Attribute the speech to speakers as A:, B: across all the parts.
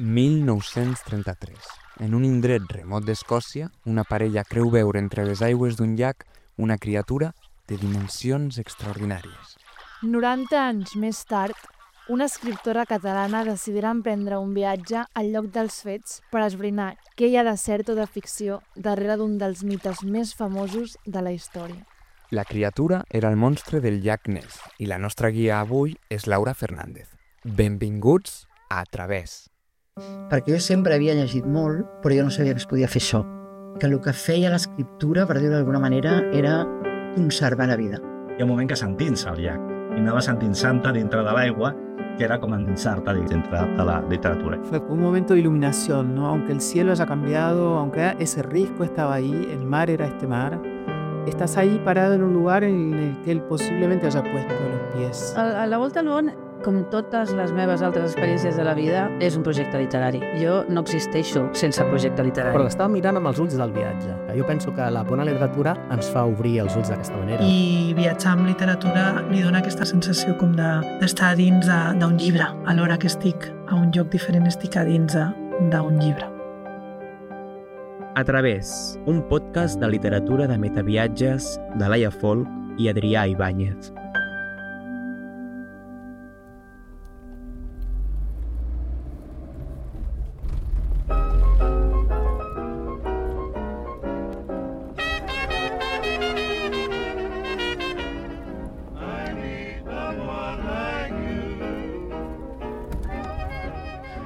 A: 1933. En un indret remot d'Escòcia, una parella creu veure entre les aigües d'un llac una criatura de dimensions extraordinàries.
B: 90 anys més tard, una escriptora catalana decidirà emprendre un viatge al lloc dels fets per esbrinar què hi ha de cert o de ficció darrere d'un dels mites més famosos de la història.
A: La criatura era el monstre del llac Ness i la nostra guia avui és Laura Fernández. Benvinguts a Través.
C: Perquè jo sempre havia llegit molt, però jo no sabia que es podia fer això. Que el que feia l'escriptura, per dir-ho d'alguna manera, era conservar la vida.
D: Hi ha un moment que s'endinsa al llac i anava sentint-se dintre de l'aigua, que era com endinsar-te dintre de la literatura.
E: Fue un momento de iluminación, ¿no? Aunque el cielo haya cambiado, aunque ese risco estaba ahí, el mar era este mar, estás ahí parado en un lugar en el que él posiblemente haya puesto los pies.
F: A la Volta al món, com totes les meves altres experiències de la vida, és un projecte literari. Jo no existeixo sense projecte literari.
G: Però estava mirant amb els ulls del viatge. Jo penso que la bona literatura ens fa obrir els ulls d'aquesta manera.
H: I viatjar amb literatura li dona aquesta sensació com d'estar dins d'un llibre. Alhora que estic a un lloc diferent, estic a dins d'un llibre.
I: A Través, un podcast de literatura de metaviatges de Laia Folk i Adrià Ibáñez.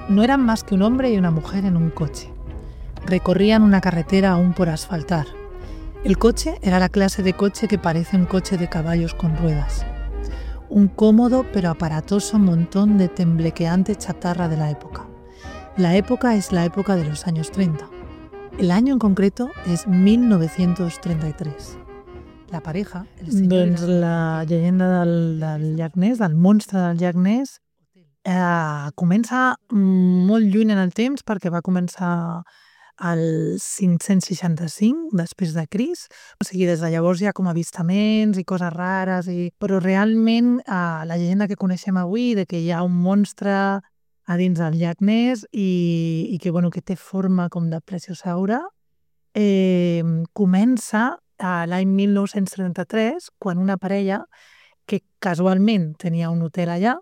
H: No eran más que un hombre y una mujer en un coche. Recorrían una carretera aún por asfaltar. El coche era la clase de coche que parece un coche de caballos con ruedas. Un cómodo pero aparatoso montón de temblequeante chatarra de la época. La época es la época de los años 30. El año en concreto es 1933. La pareja... Doncs la llegenda del llac Ness, del monstre del llac Ness, comença molt lluny en el temps perquè va començar al 565 després de Crist. O sigui, des de llavors hi ha com avistaments i coses rares, però realment la llegenda que coneixem avui de que hi ha un monstre a dins del llac Ness i que, bueno, que té forma com de plesiosaure, comença l'any 1933 quan una parella que casualment tenia un hotel allà,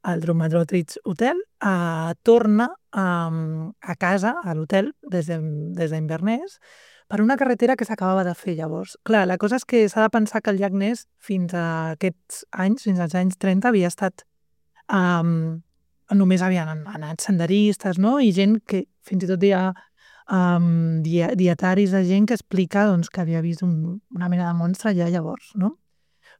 H: el Dromedrotridge Hotel, torna a casa, a l'hotel, des d'Inverness, per una carretera que s'acabava de fer llavors. Clar, la cosa és que s'ha de pensar que el llac Ness fins a aquests anys, fins als anys 30, havia estat... només havien anat senderistes, no? I gent que fins i tot hi ha dietaris de gent que explica doncs, que havia vist una mena de monstre ja llavors, no?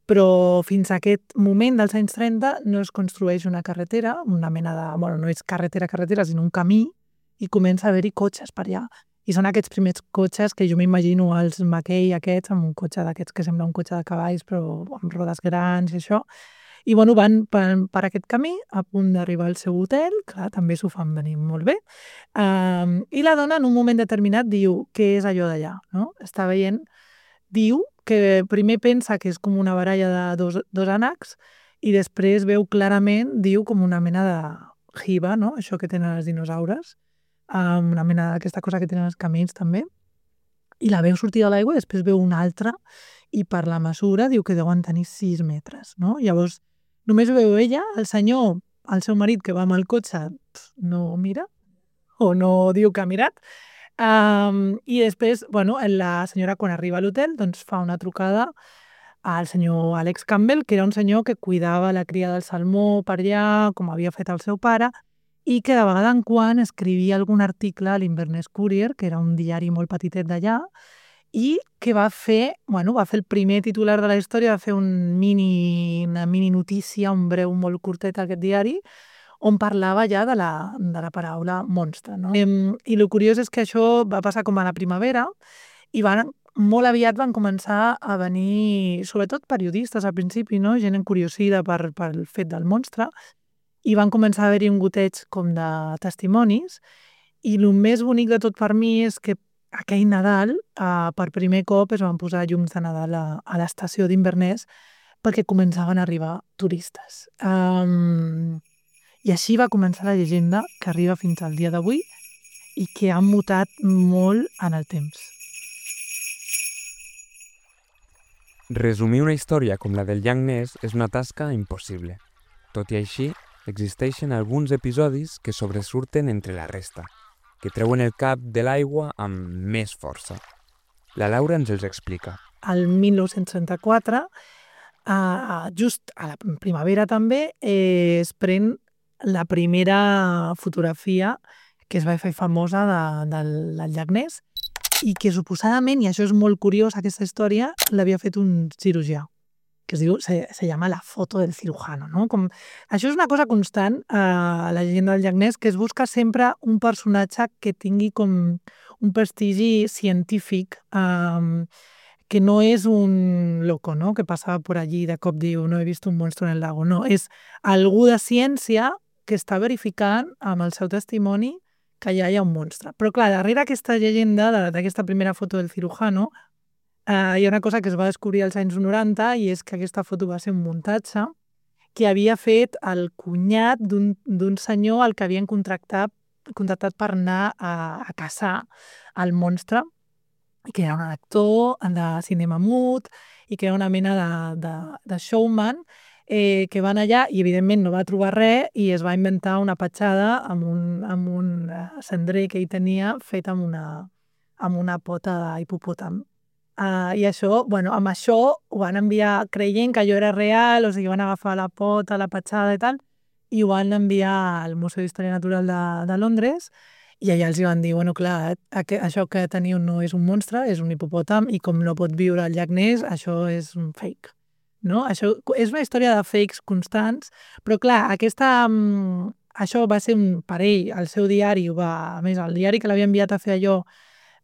H: Però fins a aquest moment dels anys 30 no es construeix una carretera, una mena de... Bueno, no és carretera, sinó un camí, i comença a haver-hi cotxes per allà. I són aquests primers cotxes que jo m'imagino els Mackay aquests, amb un cotxe d'aquests que sembla un cotxe de cavalls, però amb rodes grans i això. I bueno, van per aquest camí, a punt d'arribar al seu hotel, clar, també s'ho fan venir molt bé. I la dona, en un moment determinat, diu, què és allò d'allà? No? Està veient, diu que primer pensa que és com una baralla de dos ànecs i després veu clarament, diu, com una mena de jiba, no? Això que tenen els dinosaures, una mena d'aquesta cosa que tenen els camells també, i la veu sortir de l'aigua i després veu una altra i per la mesura diu que deuen tenir 6 metres, no? Llavors, només veu ella, el senyor, el seu marit que va amb el cotxe, no mira o no diu que ha mirat. I després, bueno, la senyora quan arriba a l'hotel doncs fa una trucada al senyor Alex Campbell, que era un senyor que cuidava la cria del salmó per allà, com havia fet el seu pare, i que de vegada en quan escrivia algun article a l'Inverness Courier, que era un diari molt petitet d'allà, i que va fer el primer titular de la història, va fer una mini notícia, un breu molt curtet a aquest diari, on parlava ja de la paraula monstre. No? I el curiós és que això va passar com a la primavera i molt aviat van començar a venir, sobretot periodistes al principi, no? Gent encuriosida pel fet del monstre, i van començar a haver-hi un goteig com de testimonis, i el més bonic de tot per mi és que aquell Nadal, per primer cop es van posar llums de Nadal a l'estació d'Inverness perquè començaven a arribar turistes. I així va començar la llegenda que arriba fins al dia d'avui i que ha mutat molt en el temps.
A: Resumir una història com la del llac Ness és una tasca impossible. Tot i així, existeixen alguns episodis que sobresurten entre la resta, que treuen el cap de l'aigua amb més força. La Laura ens els explica.
H: Al 1934, just a la primavera també, es pren la primera fotografia que es va fer famosa del llac Ness i que suposadament, i això és molt curiós, aquesta història, l'havia fet un cirurgià, que es diu, se llama la foto del cirujano, no? Això és una cosa constant a la llegenda del llac Ness, que es busca sempre un personatge que tingui com un prestigi científic, que no és un loco, no? Que passava per allí i de cop diu no he vist un monstre en el lago. No, és algú de ciència que està verificant amb el seu testimoni que allà hi ha un monstre. Però clar, darrere aquesta llegenda, d'aquesta primera foto del cirujano, hi ha una cosa que es va descobrir als anys 90 i és que aquesta foto va ser un muntatge que havia fet el cunyat d'un senyor al que havien contractat per anar a caçar el monstre, que era un actor de cinema mut i que era una mena de showman que van allà i evidentment no va trobar res i es va inventar una petjada amb un cendrer que ell tenia fet amb una pota d'hipopòtam. I això, amb això ho van enviar creient que allò era real, o sigui, van agafar la pota, la petjada i tal, i ho van enviar al Museu d'Història Natural de Londres i allà els van dir, clar, això que teniu no és un monstre, és un hipopòtam i com no pot viure al llac Ness, això és un fake. No? Això és una història de fakes constants, però clar, això va ser un parell, el seu diari, a més, el diari que l'havia enviat a fer allò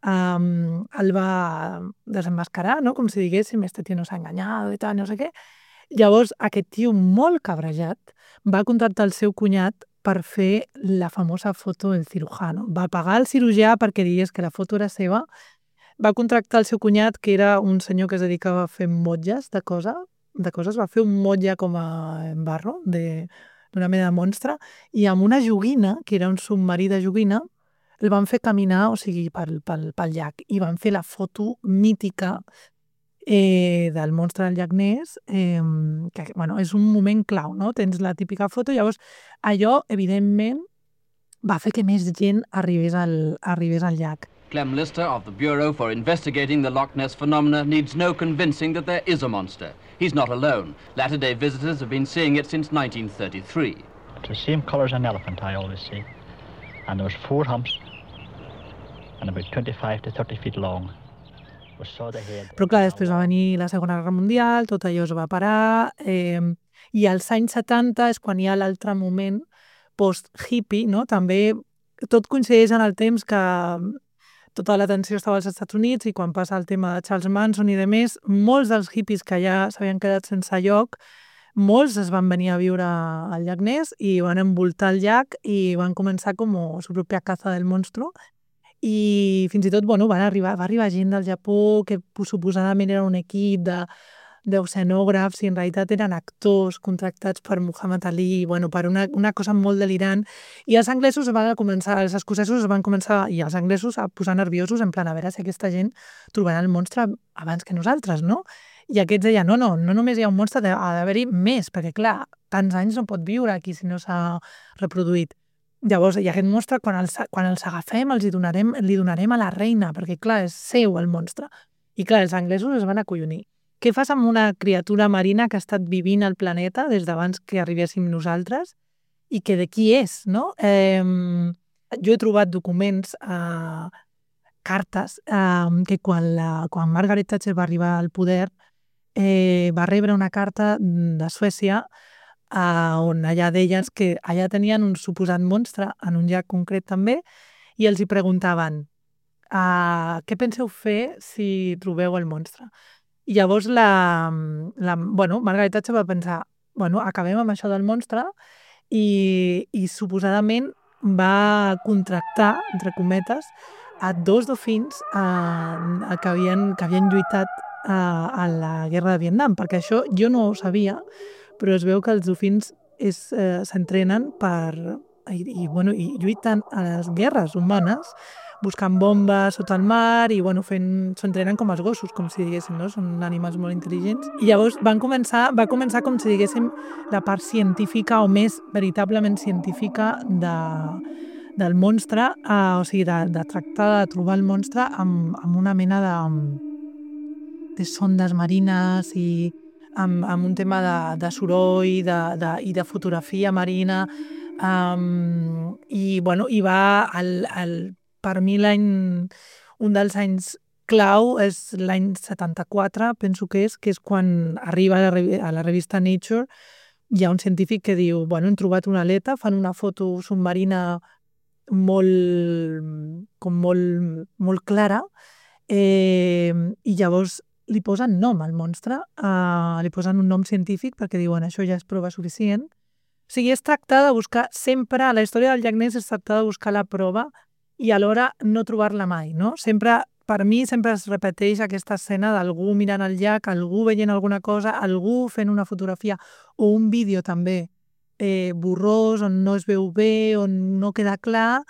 H: el va desenmascarar, no? Com si diguéssim, este tio nos ha enganyado i tal, no sé què. Llavors, aquest tio molt cabrejat va contractar el seu cunyat per fer la famosa foto del cirujano. Va pagar el cirurgià perquè digués que la foto era seva, va contractar el seu cunyat, que era un senyor que es dedicava a fer motlles de coses, va fer un motlle com a barro, d'una mena de monstre, i amb una joguina, que era un submarí de joguina, el van fer caminar, o sigui, pel llac, i van fer la foto mítica del monstre del llac Ness, que és un moment clau, no? Tens la típica foto, llavors allò, evidentment, va fer que més gent arribés al llac.
J: Clem Lister of the Bureau for Investigating the Loch Ness Phenomena needs no convincing that there is a monster. He's not alone. Latter-day visitors have been seeing it since 1933.
K: It's the same colour as an elephant, I always see. And there was 4 humps and about 25 to 30 feet long.
H: Però clar, després va venir la Segona Guerra Mundial, tot allò es va parar, i als anys 70 és quan hi ha l'altre moment post-hippie, no? També tot coincideix en el temps que tota l'atenció estava als Estats Units i quan passa el tema de Charles Manson i demés, molts dels hippies que ja s'havien quedat sense lloc, molts es van venir a viure al llac Ness i van envoltar el llac i van començar com su pròpia caza del monstruo. I fins i tot va arribar gent del Japó que suposadament era un equip d'oceanògrafs i en realitat eren actors contractats per Muhammad Ali, per una cosa molt delirant. I els anglesos els escocesos es van començar, i els anglesos, a posar nerviosos en plan a veure si aquesta gent trobarà el monstre abans que nosaltres, no? I aquests deien, no només hi ha un monstre, ha d'haver-hi més, perquè clar, tants anys no pot viure aquí si no s'ha reproduït. Llavors, i aquest monstre, quan els agafem, li donarem a la reina, perquè clar, és seu el monstre. I clar, els anglesos es van acollonir. Què fas amb una criatura marina que ha estat vivint al planeta des d'abans que arribéssim nosaltres i que de qui és, no? Jo he trobat documents, cartes, que quan Margaret Thatcher va arribar al poder va rebre una carta de Suècia on allà deien que allà tenien un suposat monstre en un llac concret també i els hi preguntaven què penseu fer si trobeu el monstre? I llavors Margaret Thatcher va pensar acabem amb això del monstre i suposadament va contractar, entre cometes, a 2 dofins que havien lluitat a la guerra de Vietnam, perquè això jo no ho sabia, però es veu que els dofins s'entrenen i lluiten a les guerres humanes, buscant bombes sota el mar i s'entrenen com els gossos, com si diguéssim, no? Són animals molt intel·ligents. I llavors va començar com si diguéssim la part científica o més veritablement científica del monstre, o sigui, de tractar de trobar el monstre amb una mena de sondes marines i amb un tema de soroll i de fotografia marina. I va per mi un dels anys clau és l'any 74, penso que és quan arriba a la revista Nature. Hi ha un científic que diu, hem trobat una aleta, fan una foto submarina molt clara, i llavors li posen nom al monstre, li posen un nom científic perquè diuen això ja és prova suficient. O sigui, es tracta de buscar sempre, la història del llac Ness es tracta de buscar la prova i alhora no trobar-la mai, no? Per mi sempre es repeteix aquesta escena d'algú mirant el llac, algú veient alguna cosa, algú fent una fotografia o un vídeo també borrós, on no es veu bé, on no queda clar,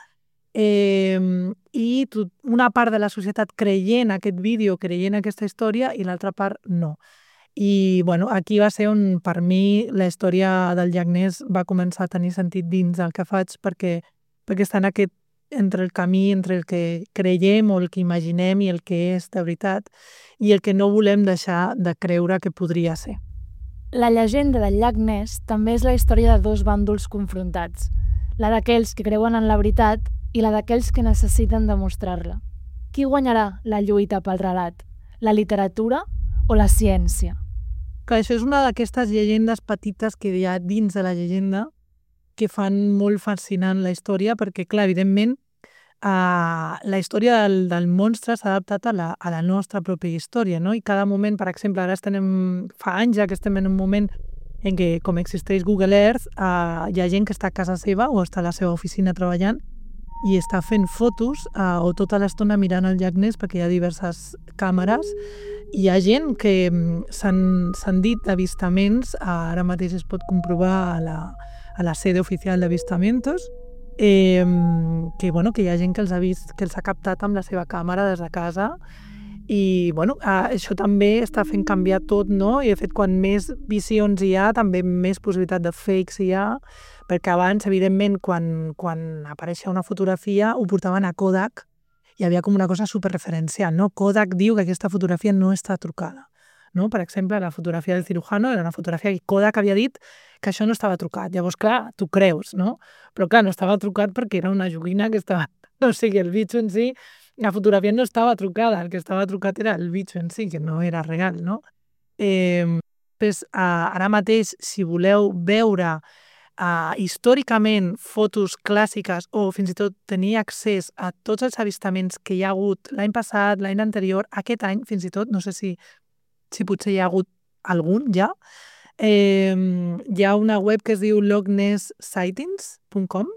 H: i una part de la societat creient aquest vídeo, creient aquesta història, i l'altra part no. I aquí va ser on per mi la història del llac Ness va començar a tenir sentit dins del que faig, perquè està en aquest entre el camí, entre el que creiem o el que imaginem i el que és de veritat, i el que no volem deixar de creure que podria ser.
B: La llegenda del llac Ness també és la història de dos bàndols confrontats, la d'aquells que creuen en la veritat i la d'aquells que necessiten demostrar-la. Qui guanyarà la lluita pel relat? La literatura o la ciència?
H: Que això és una d'aquestes llegendes petites que hi ha dins de la llegenda que fan molt fascinant la història, perquè, clar, evidentment, la història del monstre s'ha adaptat a la nostra pròpia història, no? I cada moment, per exemple, ara fa anys ja que estem en un moment en què, com existeix Google Earth, hi ha gent que està a casa seva o està a la seva oficina treballant i està fent fotos o tota l'estona mirant el llac Ness, perquè hi ha diverses càmeres. Hi ha gent que s'han dit avistaments, ara mateix es pot comprovar a la sede oficial d'avistamentos, que hi ha gent que els ha vist, que els ha captat amb la seva càmera des de casa, i això també està fent canviar tot, no? I de fet, quan més visions hi ha, també més possibilitat de fakes hi ha, perquè abans, evidentment, quan apareixia una fotografia, ho portaven a Kodak, hi havia com una cosa superreferencial, no? Kodak diu que aquesta fotografia no està trucada, no? Per exemple, la fotografia del cirujano era una fotografia que Kodak havia dit que això no estava trucat. Llavors, clar, tu creus, no? Però clar, no estava trucat perquè era una joguina que estava... O sigui, el bitxo en si, la fotografia no estava trucada, el que estava trucat era el bitxo en si, que no era real, no? Ara mateix, si voleu veure històricament fotos clàssiques o fins i tot tenir accés a tots els avistaments que hi ha hagut l'any passat, l'any anterior, aquest any, fins i tot, no sé si potser hi ha hagut algun ja, hi ha una web que es diu lochnessightings.com,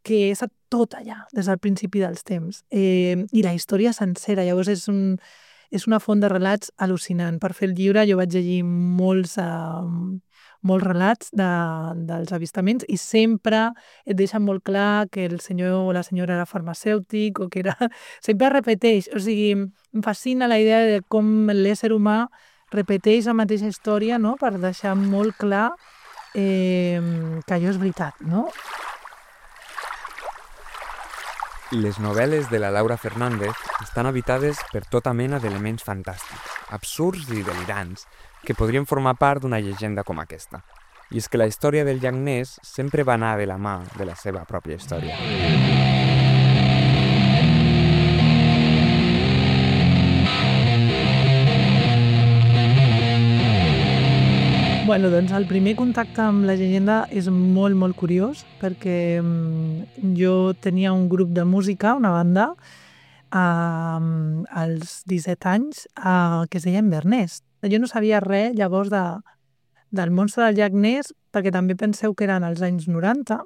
H: que és tot allà, des del principi dels temps, i la història sencera. Llavors és una font de relats al·lucinant. Per fer el llibre jo vaig llegir molts relats dels avistaments i sempre et deixen molt clar que el senyor o la senyora era farmacèutic o que era... Sempre repeteix, o sigui, em fascina la idea de com l'ésser humà repeteix la mateixa història, no?, per deixar molt clar que allò és veritat, no?
A: Les novel·les de la Laura Fernández estan habitades per tota mena d'elements fantàstics, absurds i delirants, que podrien formar part d'una llegenda com aquesta. I és que la història del llac Ness sempre va anar de la mà de la seva pròpia història.
H: Doncs el primer contacte amb la llegenda és molt, molt curiós, perquè jo tenia un grup de música, una banda, als 17 anys, que es deia Inverness. Jo no sabia res llavors del monstre del llac Ness, perquè també penseu que eren els anys 90,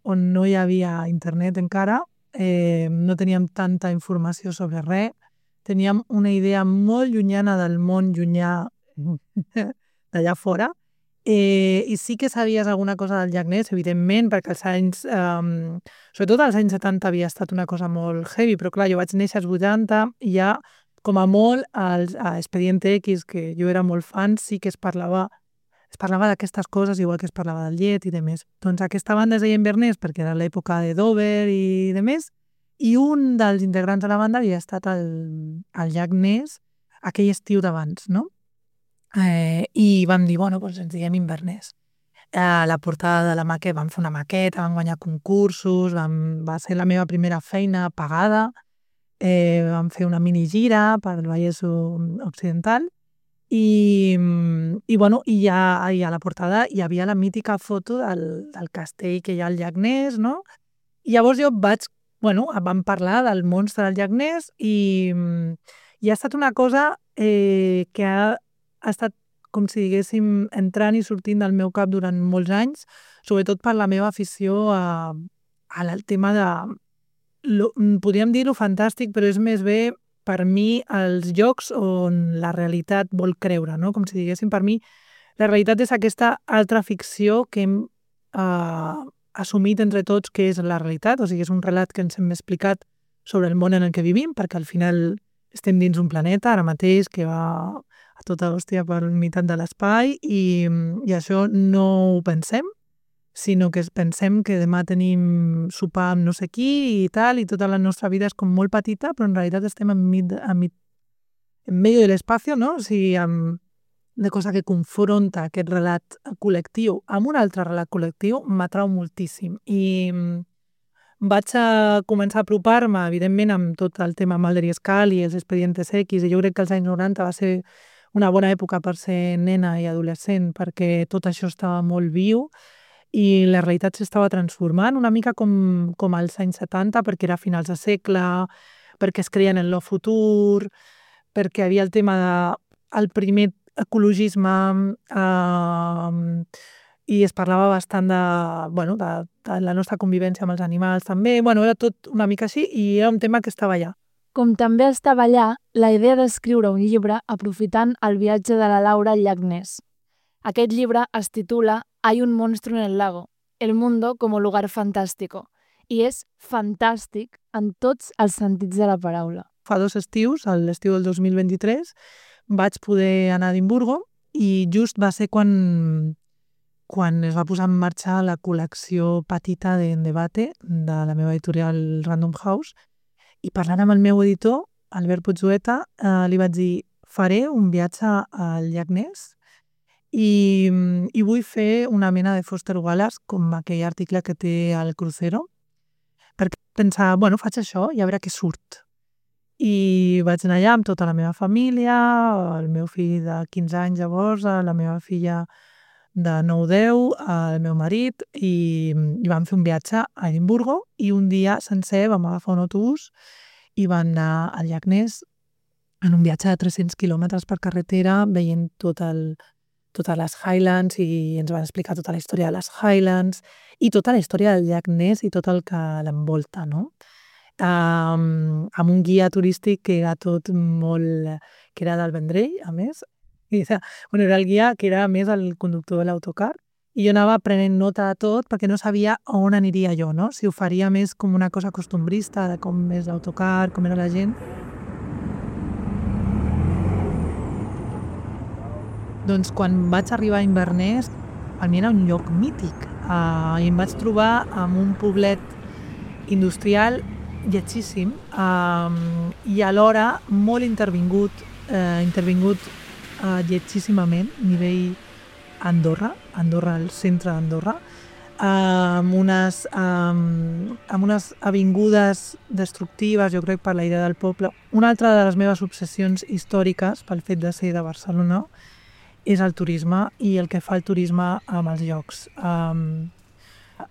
H: on no hi havia internet encara, no teníem tanta informació sobre res, teníem una idea molt llunyana del món llunyà d'allà fora, I sí que sabies alguna cosa del llac Ness, evidentment, perquè els anys, sobretot als anys 70 havia estat una cosa molt heavy, però clar, jo vaig néixer als 80 i ja, com a molt, a Expediente X, que jo era molt fan, sí que es parlava d'aquestes coses, igual que es parlava del llet i de més. Doncs aquesta banda es deia Inverness perquè era l'època de Dover i de més, i un dels integrants de la banda havia estat al llac Ness aquell estiu d'abans, no? I vam dir, bueno, doncs ens diguem Inverness. La portada de la maqueta, vam fer una maqueta, vam guanyar concursos, va ser la meva primera feina pagada, vam fer una mini gira per el Vallès Occidental i ja a la portada hi havia la mítica foto del castell que hi ha al llac Ness, no? I llavors jo vam parlar del monstre del llac Ness i ha estat una cosa que ha estat, com si diguéssim, entrant i sortint del meu cap durant molts anys, sobretot per la meva afició al tema de... podríem dir-ho fantàstic, però és més bé per mi els llocs on la realitat vol creure, no? Com si diguéssim, per mi la realitat és aquesta altra ficció que hem assumit entre tots que és la realitat, o sigui, és un relat que ens hem explicat sobre el món en el que vivim, perquè al final estem dins un planeta ara mateix que va a tota hòstia per meitat de l'espai i això no ho pensem, sinó que pensem que demà tenim sopar amb no sé qui i tal, i tota la nostra vida és com molt petita, però en realitat estem en medio de l'espacio, no? O sigui, de cosa que confronta aquest relat col·lectiu amb un altre relat col·lectiu m'atrau moltíssim. I vaig començar a apropar-me, evidentment, amb tot el tema Mulder i Scully i els Expedientes X, i jo crec que els anys 90 va ser una bona època per ser nena i adolescent, perquè tot això estava molt viu i la realitat s'estava transformant, una mica com als anys 70, perquè era a finals de segle, perquè es creien en lo futur, perquè hi havia el tema del primer ecologisme i es parlava bastant de la nostra convivència amb els animals també. Era tot una mica així i era un tema que estava allà.
B: Com també estava allà la idea d'escriure un llibre aprofitant el viatge de la Laura al llac Ness. Aquest llibre es titula Hay un monstruo en el lago, el mundo como lugar fantástico, i és fantàstic en tots els sentits de la paraula.
H: Fa 2 estius, l'estiu del 2023, vaig poder anar a Edimburgo i just va ser quan es va posar en marxa la col·lecció petita d'En Debate de la meva editorial Random House, i parlant amb el meu editor, Albert Puigzueta, li vaig dir, faré un viatge al llac Ness i vull fer una mena de Foster Wallace, com aquell article que té al Crucero, perquè pensar, faig això i a veure què surt. I vaig anar allà amb tota la meva família, el meu fill de 15 anys llavors, la meva filla de 9-10, el meu marit, i vam fer un viatge a Edimburgo i un dia sencer vam agafar un autobús i vam anar al llac Ness en un viatge de 300 quilòmetres per carretera, veient totes les Highlands, i ens van explicar tota la història de les Highlands i tota la història del llac Ness i tot el que l'envolta, no? Amb un guia turístic que era tot molt... que era del Vendrell, a més. Era el guia que era més el conductor de l'autocar, i jo anava prenent nota de tot perquè no sabia on aniria jo, no? Si ho faria més com una cosa costumbrista, de com és l'autocar, com era la gent. Doncs quan vaig arribar a Inverness, per mi era un lloc mític, i em vaig trobar amb un poblet industrial lletjíssim i alhora molt intervingut lletjíssimament, nivell Andorra, el centre d'Andorra, amb unes avingudes destructives, jo crec, per la idea del poble. Una altra de les meves obsessions històriques, pel fet de ser de Barcelona, és el turisme i el que fa el turisme amb els llocs.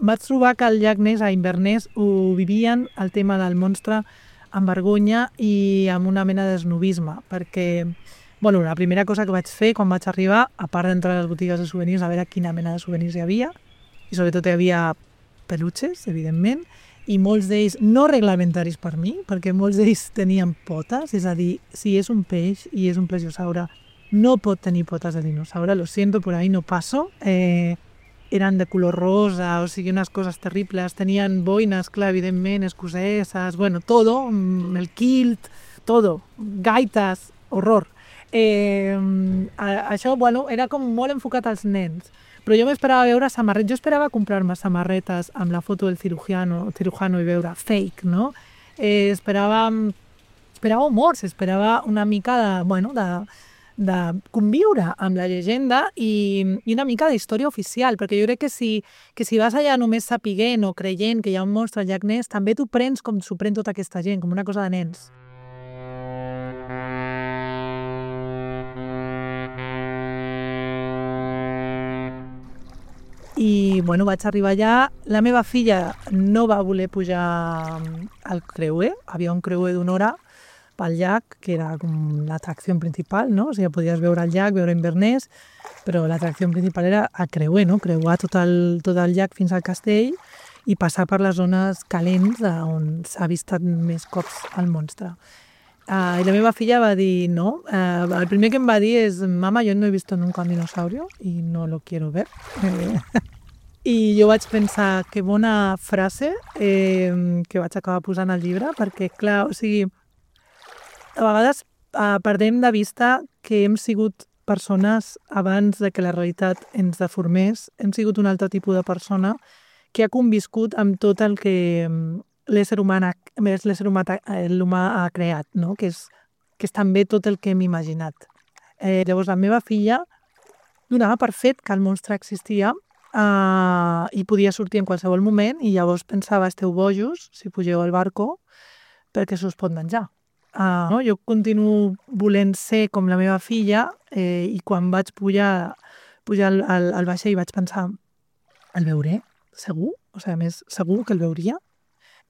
H: Vaig trobar que al llac Ness, a Inverness, ho vivien el tema del monstre amb vergonya i amb una mena d'esnobisme, perquè la primera cosa que vaig fer quan vaig arribar, a part d'entrar a les botigues de souvenirs, a veure quina mena de souvenirs hi havia, i sobretot hi havia peluches, evidentment, i molts d'ells no reglamentaris per mi, perquè molts d'ells tenien potes, és a dir, si és un peix i és un plesiosaure, no pot tenir potes de dinosaure, lo siento, por ahí no paso. Eren de color rosa, o sigui, unes coses terribles, tenien boines, clar, evidentment, escoceses, bueno, todo, el kilt, todo, gaites, horror. Això, bueno, era com molt enfocat als nens, però jo m'esperava veure samarretes, jo esperava comprar-me samarretes amb la foto del cirujano i veure fake, no? Esperava humors, esperava una mica de conviure amb la llegenda i una mica d'història oficial, perquè jo crec que si vas allà només sapiguent o creient que hi ha un monstre al llac Ness, també t'ho prens com s'ho pren tota aquesta gent, com una cosa de nens. I, bueno, vaig arribar allà. La meva filla no va voler pujar al creuer. Havia un creuer d'una hora pel llac, que era com l'atracció principal, no? O sigui, podies veure el llac, veure Inverness, però l'atracció principal era el creuer, no? Creuar tot el llac fins al castell i passar per les zones calents on s'ha vist més cops el monstre. I la meva filla va dir no. El primer que em va dir és: mama, yo no he visto nunca un dinosaurio y no lo quiero ver. I jo vaig pensar, que bona frase, que vaig acabar posant al llibre, perquè, clar, o sigui, a vegades perdem de vista que hem sigut persones abans de que la realitat ens deformés, hem sigut un altre tipus de persona que ha conviscut amb tot el que l'humà ha creat, no? Que és també tot el que hem imaginat. Llavors, la meva filla donava per fet que el monstre existia i podia sortir en qualsevol moment, i llavors pensava: esteu bojos si pugeu al barco perquè s'us pot menjar. No? Jo continuo volent ser com la meva filla, i quan vaig pujar al vaixell vaig pensar: el veuré? Segur? O sigui, a més, segur que el veuria?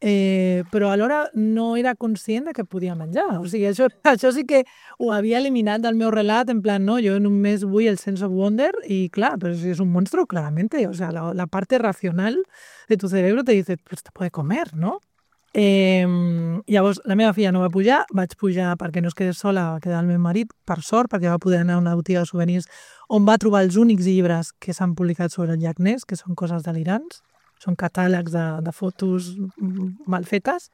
H: Però alhora no era conscient de que podia menjar. O sigui, això sí que ho havia eliminat del meu relat, en plan, no, jo només vull el sense of wonder, i clar, però si és un monstruo, claramente, o sea, la parte racional de tu cerebro te dice, pues te puede comer, ¿no? Llavors, la meva filla no va pujar, vaig pujar perquè no es quedés sola, va quedar el meu marit, per sort, perquè va poder anar a una botiga de souvenirs on va trobar els únics llibres que s'han publicat sobre el llac Ness, que són coses delirants. Són catàlegs de fotos mal fetes.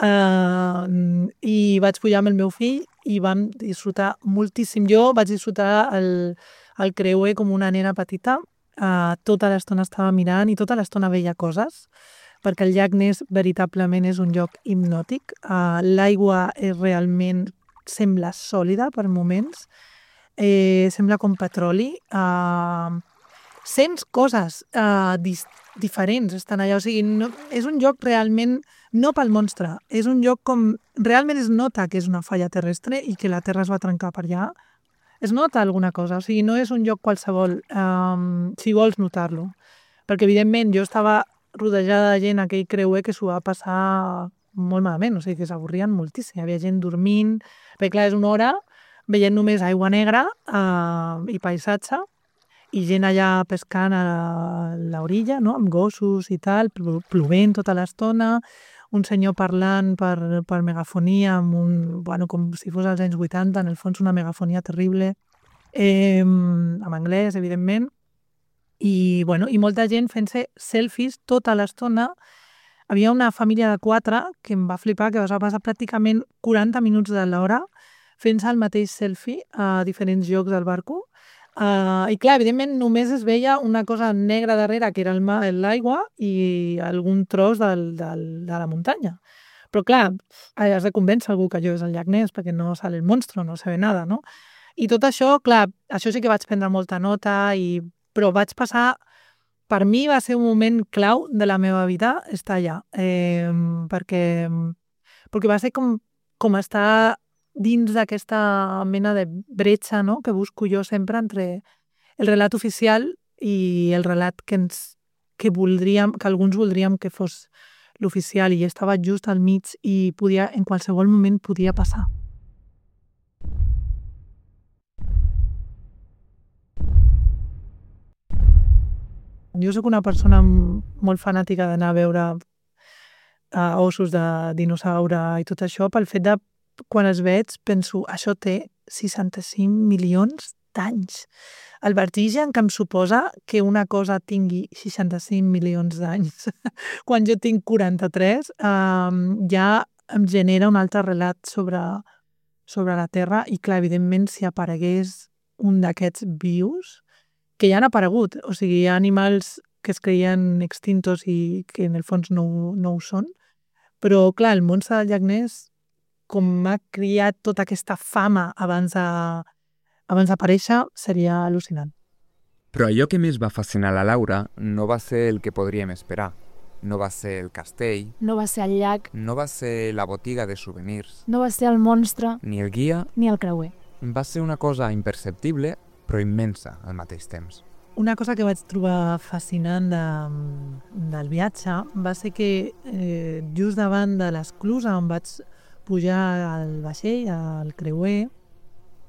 H: I vaig pujar amb el meu fill i vam disfrutar moltíssim. Jo vaig disfrutar el creuer com una nena petita. Tota l'estona estava mirant i tota l'estona veia coses, perquè el llac Ness veritablement és un lloc hipnòtic. L'aigua realment sembla sòlida per moments. Sembla com petroli. Sents coses diferents estan allà, o sigui, no, és un lloc realment no pel monstre, és un lloc com realment es nota que és una falla terrestre i que la Terra es va trencar per allà, es nota alguna cosa, o sigui, no és un lloc qualsevol, si vols notar-lo, perquè evidentment jo estava rodejada de gent a aquell creuer que s'ho va passar molt malament, o sigui, que s'avorrien moltíssim, hi havia gent dormint, perquè clar, és una hora veient només aigua negra i paisatge, i gent allà pescant a l'orilla, no? Amb gossos i tal, plovent tota l'estona, un senyor parlant per megafonia, com si fos als anys 80, en el fons una megafonia terrible, en anglès, evidentment, i molta gent fent-se selfies tota l'estona. Havia una família de 4 que em va flipar, que es va passar pràcticament 40 minuts de l'hora fent-se el mateix selfie a diferents llocs del barco. I clar, evidentment només es veia una cosa negra darrere, que era l'aigua, i algun tros de la muntanya. Però clar, has de convèncer algú que allò és el llac Ness, perquè no sale el monstro, no se ve nada, no? I tot això, clar, això sí que vaig prendre molta nota, però vaig passar... Per mi va ser un moment clau de la meva vida estar allà, perquè va ser com estar dins d'aquesta mena de bretxa, no?, que busco jo sempre entre el relat oficial i el relat que alguns voldríem que fos l'oficial, i estava just al mig i en qualsevol moment podia passar. Jo soc una persona molt fanàtica d'anar a veure ossos de dinosaure i tot això, pel fet de quan els veig penso, això té 65 milions d'anys. El vertigen que em suposa que una cosa tingui 65 milions d'anys quan jo tinc 43 ja em genera un altre relat sobre la Terra i, clar, evidentment, si aparegués un d'aquests vius, que ja han aparegut, o sigui, hi ha animals que es creien extintos i que en el fons no ho són, però, clar, el monstre del llac Ness, com ha criat tota aquesta fama abans d'aparèixer, seria al·lucinant.
A: Però allò que més va fascinar la Laura no va ser el que podríem esperar. No va ser el castell.
B: No va ser el llac.
A: No va ser la botiga de souvenirs.
B: No va ser el monstre.
A: Ni el guia.
B: Ni el creuer.
A: Va ser una cosa imperceptible, però immensa al mateix temps.
H: Una cosa que vaig trobar fascinant del viatge va ser que just davant de l'esclusa on vaig pujar al vaixell, al creuer,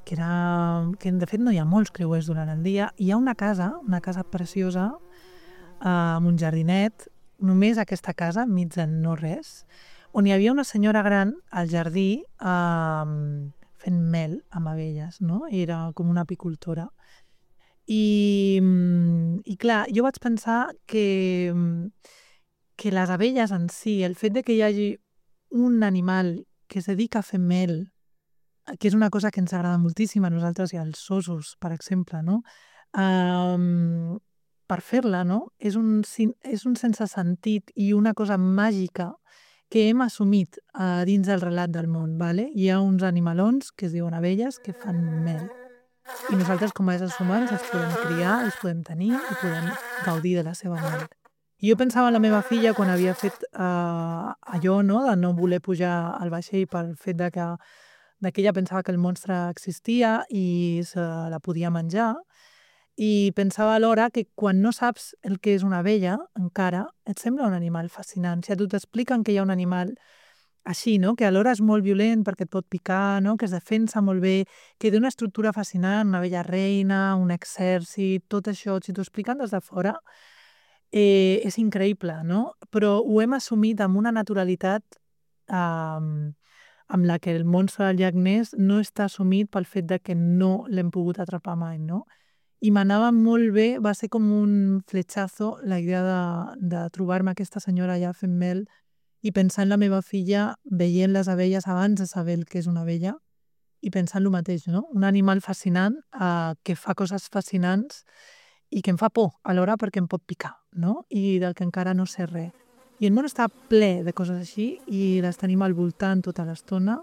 H: que de fet no hi ha molts creuers durant el dia, hi ha una casa preciosa amb un jardinet, només aquesta casa, enmig de no res, on hi havia una senyora gran al jardí fent mel amb abelles, no? Era com una apicultora. I clar, jo vaig pensar que les abelles en si, el fet de que hi hagi un animal que es dedica a fer mel, que és una cosa que ens agrada moltíssim a nosaltres i als ossos, per exemple, no? Per fer-la, no? És un sense sentit i una cosa màgica que hem assumit dins del relat del món. Vale? Hi ha uns animalons que es diuen abelles que fan mel. I nosaltres, com a éssers humans, els podem criar, els podem tenir i podem gaudir de la seva mel. I jo pensava en la meva filla quan havia fet allò, no?, de no voler pujar al vaixell pel fet de que ella pensava que el monstre existia i se la podia menjar. I pensava alhora que quan no saps el que és una abella, encara, et sembla un animal fascinant. Si a tu t'expliquen que hi ha un animal així, no?, que alhora és molt violent perquè et pot picar, no?, que es defensa molt bé, que té una estructura fascinant, una abella reina, un exèrcit, tot això, si t'ho expliquen des de fora, és increïble, no? Però ho hem assumit amb una naturalitat amb la que el monstre del llac Ness no està assumit pel fet de que no l'hem pogut atrapar mai, no? I m'anava molt bé, va ser com un fletxazo la idea de trobar-me aquesta senyora allà fent mel i pensar en la meva filla veient les abelles abans de saber el que és una abella i pensant el mateix, no? Un animal fascinant que fa coses fascinants i que em fa por alhora perquè em pot picar, no? I del que encara no sé res. I el món està ple de coses així i les tenim al voltant tota l'estona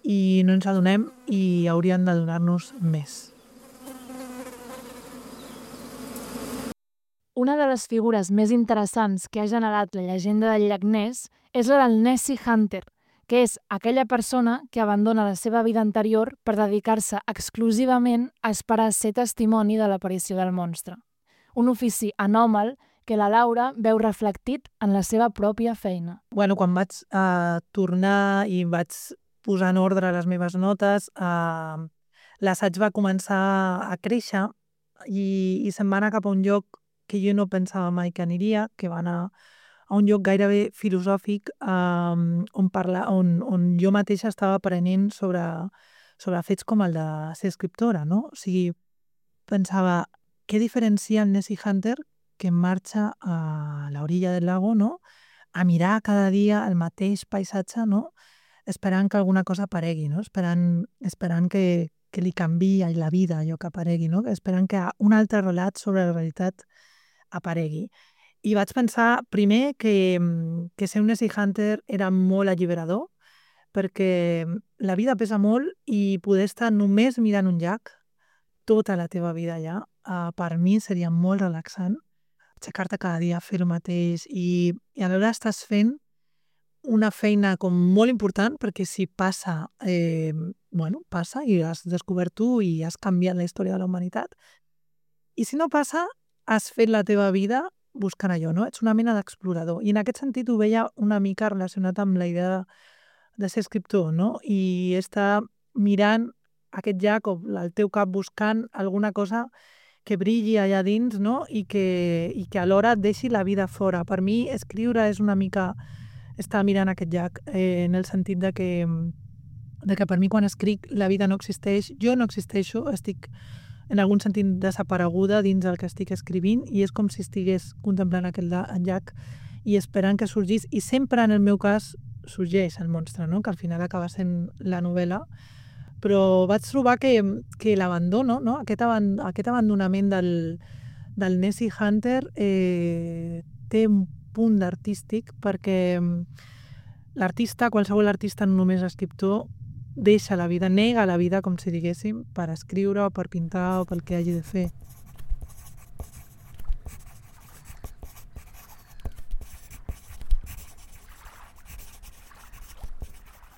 H: i no ens adonem i haurien de donar-nos més.
B: Una de les figures més interessants que ha generat la llegenda del llac Ness és la del Nessie Hunter, que és aquella persona que abandona la seva vida anterior per dedicar-se exclusivament a esperar ser testimoni de l'aparició del monstre. Un ofici anòmal que la Laura veu reflectit en la seva pròpia feina.
H: Bueno, quan vaig tornar i vaig posar en ordre les meves notes, l'assaig va començar a créixer i se'n va anar cap a un lloc que jo no pensava mai que aniria, que va anar a un lloc gairebé filosòfic on jo mateixa estava aprenent sobre fets com el de ser escriptora, no? O sigui, pensava, què diferencia el Nessie Hunter que marxa a l'orilla del lago, no?, a mirar cada dia el mateix paisatge, no?, esperant que alguna cosa aparegui, no?, esperant que li canviï la vida allò que aparegui, no?, esperant que un altre relat sobre la realitat aparegui. I vaig pensar, primer, que ser un Nessie Hunter era molt alliberador, perquè la vida pesa molt i poder estar només mirant un llac tota la teva vida allà, per mi seria molt relaxant, aixecar-te cada dia a fer el mateix i alhora estàs fent una feina com molt important perquè si passa, passa i has descobert tu i has canviat la història de la humanitat. I si no passa, has fet la teva vida buscant allò, no? Ets una mena d'explorador. I en aquest sentit ho veia una mica relacionat amb la idea de ser escriptor, no? I estar mirant aquest llac o el teu cap buscant alguna cosa que brilli allà dins, no? I que alhora et deixi la vida fora. Per mi, escriure és una mica estar mirant aquest llac, en el sentit de que de que per mi quan escric la vida no existeix, jo no existeixo, estic en algun sentit desapareguda dins el que estic escrivint i és com si estigués contemplant aquest llac i esperant que sorgís, i sempre en el meu cas sorgeix el monstre, no? Que al final acaba sent la novel·la, però vaig trobar que l'abandono, no? Aquest abandonament del Nessie Hunter té un punt artístic, perquè l'artista, qualsevol artista, no només escriptor, deixa la vida, nega la vida, com si diguéssim, per escriure o per pintar o pel que hagi de fer.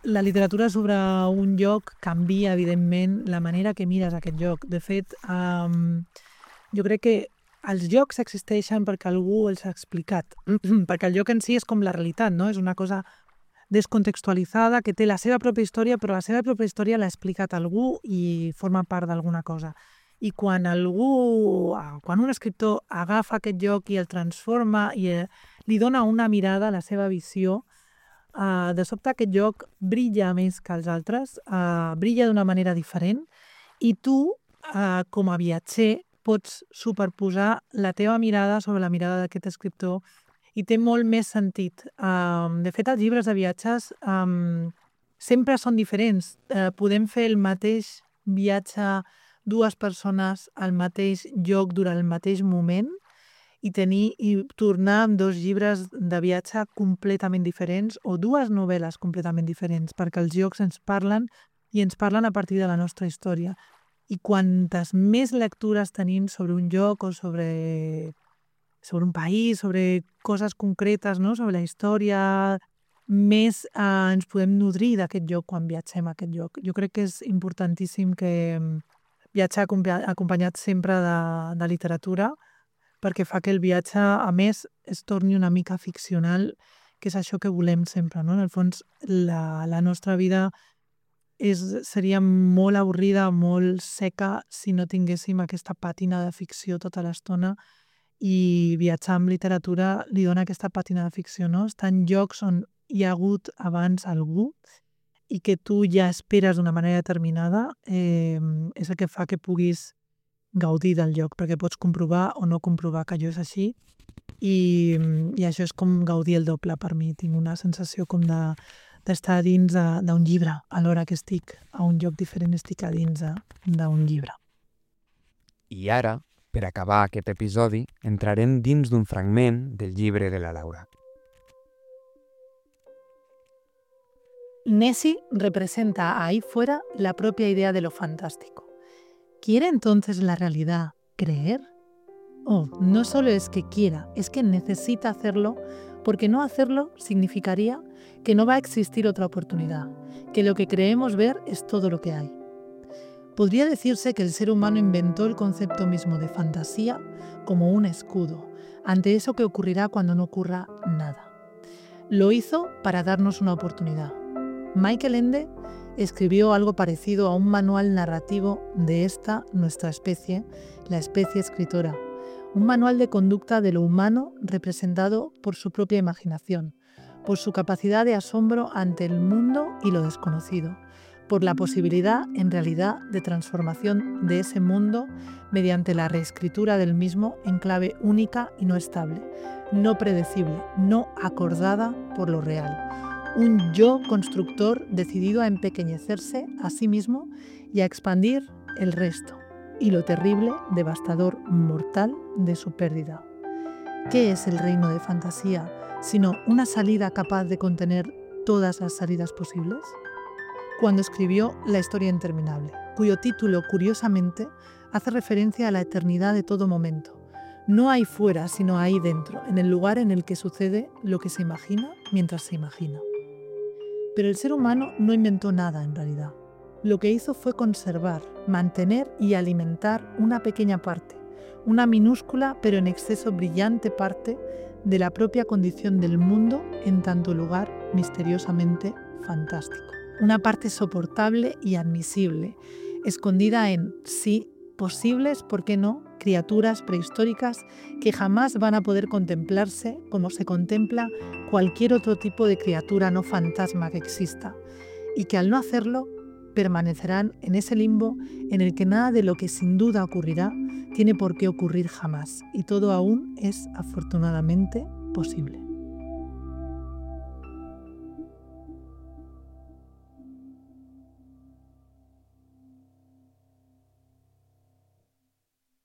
H: La literatura sobre un lloc canvia, evidentment, la manera que mires aquest lloc. De fet, jo crec que els llocs existeixen perquè algú els ha explicat, perquè el lloc en si és com la realitat, no? És una cosa descontextualitzada, que té la seva pròpia història, però la seva pròpia història l'ha explicat algú i forma part d'alguna cosa. I quan un escriptor agafa aquest lloc i el transforma i li dona una mirada a la seva visió, de sobte aquest lloc brilla més que els altres, brilla d'una manera diferent, i tu, com a viatger, pots superposar la teva mirada sobre la mirada d'aquest escriptor i té molt més sentit. De fet, els llibres de viatges sempre són diferents. Podem fer el mateix viatge dues persones al mateix lloc durant el mateix moment i tornar amb dos llibres de viatge completament diferents o dues novel·les completament diferents, perquè els llocs ens parlen i ens parlen a partir de la nostra història. I quantes més lectures tenim sobre un lloc o sobre un país, sobre coses concretes, no? Sobre la història, més ens podem nodrir d'aquest lloc quan viatgem a aquest lloc. Jo crec que és importantíssim que viatjar acompanyat sempre de literatura, perquè fa que el viatge, a més, es torni una mica ficcional, que és això que volem sempre, no? En el fons, la nostra vida seria molt avorrida, molt seca, si no tinguéssim aquesta pàtina de ficció tota l'estona, i viatjar amb literatura li dona aquesta pàtina de ficció, no? Estar en llocs on hi ha hagut abans algú i que tu ja esperes d'una manera determinada, és el que fa que puguis gaudir del lloc, perquè pots comprovar o no comprovar que allò és així, i això és com gaudir el doble per mi. Tinc una sensació com d'estar a dins d'un llibre, alhora que estic a un lloc diferent, estic a dins d'un llibre.
A: I ara, per acabar aquest episodi, entrarem dins d'un fragment del llibre de la Laura.
H: Nessie representa ahí fuera la propia idea de lo fantástico. ¿Quiere entonces la realidad creer? Oh, no solo es que quiera, es que necesita hacerlo, porque no hacerlo significaría que no va a existir otra oportunidad, que lo que creemos ver es todo lo que hay. Podría decirse que el ser humano inventó el concepto mismo de fantasía como un escudo ante eso que ocurrirá cuando no ocurra nada. Lo hizo para darnos una oportunidad. Michael Ende escribió algo parecido a un manual narrativo de nuestra especie, la especie escritora. Un manual de conducta de lo humano representado por su propia imaginación, por su capacidad de asombro ante el mundo y lo desconocido, por la posibilidad, en realidad, de transformación de ese mundo mediante la reescritura del mismo en clave única y no estable, no predecible, no acordada por lo real. Un yo constructor decidido a empequeñecerse a sí mismo y a expandir el resto, y lo terrible, devastador, mortal de su pérdida. ¿Qué es el reino de fantasía, sino una salida capaz de contener todas las salidas posibles? Cuando escribió La historia interminable, cuyo título, curiosamente, hace referencia a la eternidad de todo momento. No hay fuera, sino ahí dentro, en el lugar en el que sucede lo que se imagina mientras se imagina. Pero el ser humano no inventó nada en realidad. Lo que hizo fue conservar, mantener y alimentar una pequeña parte, una minúscula pero en exceso brillante parte de la propia condición del mundo en tanto lugar misteriosamente fantástico. Una parte soportable y admisible, escondida en, sí, posibles, ¿por qué no?, criaturas prehistóricas que jamás van a poder contemplarse como se contempla cualquier otro tipo de criatura no fantasma que exista, y que al no hacerlo permanecerán en ese limbo en el que nada de lo que sin duda ocurrirá tiene por qué ocurrir jamás y todo aún es afortunadamente posible.